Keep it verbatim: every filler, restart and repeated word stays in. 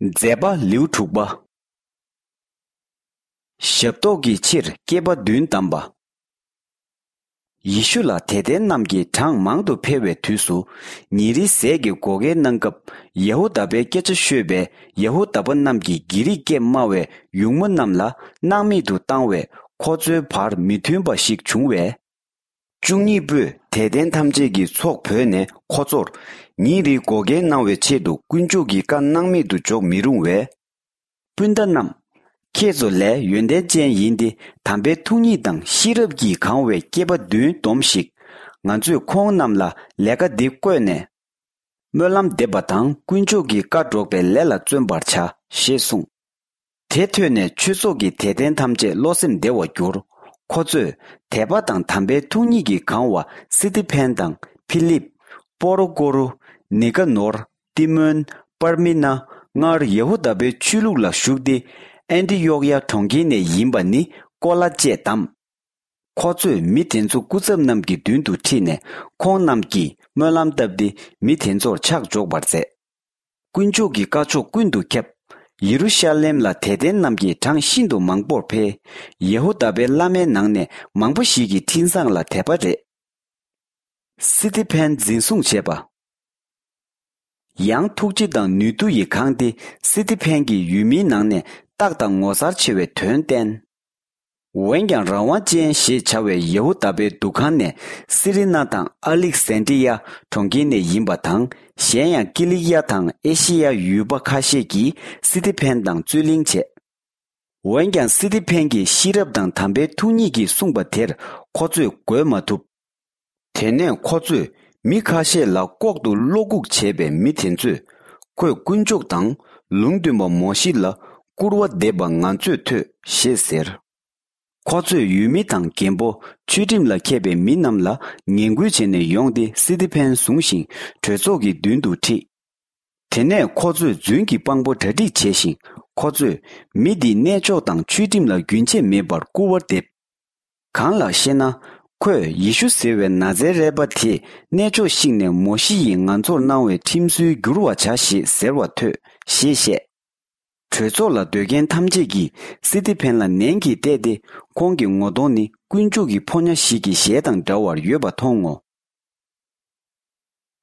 མཛད་པ་ལེའུ་དྲུག་པ། ཞབས་ཏོག་གི་ཕྱིར་སྐྱེས་པ་བདུན་བདམས་པ། ཡེ་ཤུ་ལ་དད་ལྡན་རྣམས་ཀྱིས་གྲངས་མང་དུ་འཕེལ་བའི་དུས་སུ། ཉིན་རེའི་ཟས་ཀྱི་བགོ་སྐལ་གནང་སྐབས། ཡ་ཧུ་དཱ་པའི་སྐད་ཆ་ཤོད་པའི་ཡ་ཧུ་དཱ་པ་རྣམས་ཀྱིས་གྷི་རིག་སྐད་སྨྲ་བའི་ཡུགས་མོ་རྣམས་ལ་སྣང་མེད་དུ་བཏང་བས། ཁོ་ཚོའི་བར་མི་མཐུན་པ་ཞིག་བྱུང་བས། བཅུ་གཉིས་པོས་དད་ལྡན་ཐམས་ཅད་ཀྱི་ཚོགས་བོས་ནས་ཁོ་ཚོར། ཉིན་རེའི་བགོ་སྐལ་གནང་བའི་ཆེད་དུ་དཀོན་མཆོག་གི་བཀའ་སྣང་མེད་དུ་འཇོག་མི་རུང་བས། སྤུན་ཟླ་རྣམས། ཁྱེད་ཚོ་ལས་ཡོན་ཏན་ཅན་ཡིན་ཏེ། དམ་པའི་ཐུགས་ཉིད་དང་ཤེས་རབ་ཀྱིས་གང་བའི་སྐྱེས་པ་བདུན་བསྡོམས་ཤིག་ང་ཚོས་ཁོང་རྣམས་ལ་ལས་ཀ་འདི་བསྐོས་ནས། སྨོན་ལམ་འདེབས་པ་དང་དཀོན་མཆོག་གི་བཀའ་སྒྲོག་པའི་ལས་ལ་བརྩོན་པར་བྱ། ཞེས་གསུངས། དེ་ཐོས་ནས་ཆོས་ཚོགས་ཀྱི་དད་ལྡན་ཐམས་ཅད་བློ་སེམས་བདེ་བར་གྱུར། ཁོ་ཚོས་དད་པ་དང་དམ་པའི་ཐུགས་ཉིད་ཀྱིས་གང་བ་སི་ཏི་ཕན་དང་ཕི་ལིབ། པོ་རོ་ཀོ་རུ། ནི་ཀ་ནོར། ཏི་མོན། པར་མི་ན། སྔར་ཡ་ཧུ་དཱ་པའི་ཆོས་ལུགས་ལ་ཞུགས་ཏེ། ཨན་ཏི་ཡོག་ཡ་གྲོང་ཁྱེར་ནས་ཡིན་པ་ནི་ཀོ་ལ་བཅས་བདམས། ཁོ་ཚོས་མི་དེ་ཚོ་སྐུ་ཚབ་རྣམས་ཀྱི་མདུན་དུ་ཁྲིད་ནས། ཁོང་རྣམས་ཀྱིས་སྨོན་ལམ་བཏབ་སྟེ། མི་དེ་ཚོར་ཕྱག་འཇོག་པར་མཛད། དཀོན་མཆོག་གི་བཀའ་ཕྱོགས་ཀུན་ཏུ་ཁྱབ། ཡེ་རུ་ཤ་ལེམ་ལ་དད་ལྡན་རྣམས་ཀྱིས་གྲངས་ཤིན་ཏུ་མང་པོར་འཕེལ། ཡ་ཧུ་དཱ་པའི་བླ་མའི་ནང་ནས་མང་པོ་ཞིག་གིས་འཕྲིན་བཟང་ལ་དད་པ་རེད། སི་ཏི་ཕན་འཛིན་བཟུང་བྱས་པ། ཡང་ཐུགས་རྗེ་དང་ནུས་མཐུ་ཡིས་གང་སྟེ། སི་ཏི་ཕན་གྱིས་ཡུལ་མིའི་ནང་ནས་རྟགས་དང་ངོ་མཚར་ཆེ་བའི་དོན་བསྟན། འོན་ཀྱང་རང་དབང་ཅན་ཞེས་བྱ་བའི་ཡ་ཧུ་དཱ་པའི་འདུ་ཁང་ནས་སི་རི་ན་དང་ཨ་ལིག་སན་ཏྲི་ཡ་གྲོང་ཁྱེར་ནས་ཡིན་པ་དང་། གཞན་ཡང་ཀི་ལིག་ཡ་དང་ཨེ་ཤི་ཡ་ཡུལ་པ་ཁ་ཤས་ཀྱིས་སི་ཏི་ཕན་དང་རྩོད་གླེང་བྱས། འོན་ཀྱང་སི་ཏི་ཕན་གྱིས་ཤེས་རབ་དང་དམ་པའི་ཐུགས་ཉིད་ཀྱིས་གསུངས་པ་དེར་ཁོ་ཚོས་འགོད་མ་ཐུབ། དེ་ནས་ཁོ་ཚོས་མི་ཁ་ཤས་ལ་ལྐོག་ཏུ་བློ་འགུག་བྱས་པས། མི་དེ་ཚོས་ཁོས་དཀོན་མཆོག་དང་ལུང་སྟོན་པ་མོ་ཤེ་ལ་སྐུར་བ་འདེབས་པ་ང་ཚོས་ཐོས་ཞེས་ཟེར། ཁོ་ཚོས་ཡུལ་མི་དང་རྒན་པོ། ཆོས་ཁྲིམས་ལ་མཁས་པའི་མི་རྣམས་ལ་ངན་སྐུལ་བྱས་ནས་ཡོང་སྟེ། སི་ཏི་ཕན་བཟུང་ཞིང་གྲོས་ཚོགས་ཀྱི་མདུན་དུ་ཁྲིད། དེ་ནས་ཁོ་ཚོས་རྫུན་གྱི་དཔང་པོ་གྲ་སྒྲིག་བྱས་ཤིང་། ཁོ་ཚོས་མི་འདིས་གནས་མཆོག་དང་ཆོས་ཁྲིམས་ལ་རྒྱུན་ཆད་མེད་པར་སྐུར་བ་འདེབས། གང་ལགས་ཤེ་ན། ཁོས་ཡེ་ཤུ་ཟེར་བའི་ན་ཛེ་རད་པ་དེས་གནས་མཆོག་བཤིག་ནས་མོ་ཤེ་ཡིས་ང་ཚོར་གནང་བའི་ཁྲིམས་སྲོལ་བསྒྱུར་བར་བྱ་ཞེས་ཟེར་བ་ཐོས་ཞེས་བཤད། གྲོས་ཚོགས་ལ་སྡོད་མཁན་ཐམས་ཅད་ཀྱིས་སི་ཏི་ཕན་ལ་ནན་གྱིས་བལྟས་ཏེ། ཁོང་གི་ངོ་གདོང་ནི་དཀོན་མཆོག་གི་ཕོ་ཉ་ཞིག་གི་ཞལ་དང་འདྲ་བར་ཡོད་པ་མཐོང་ངོ་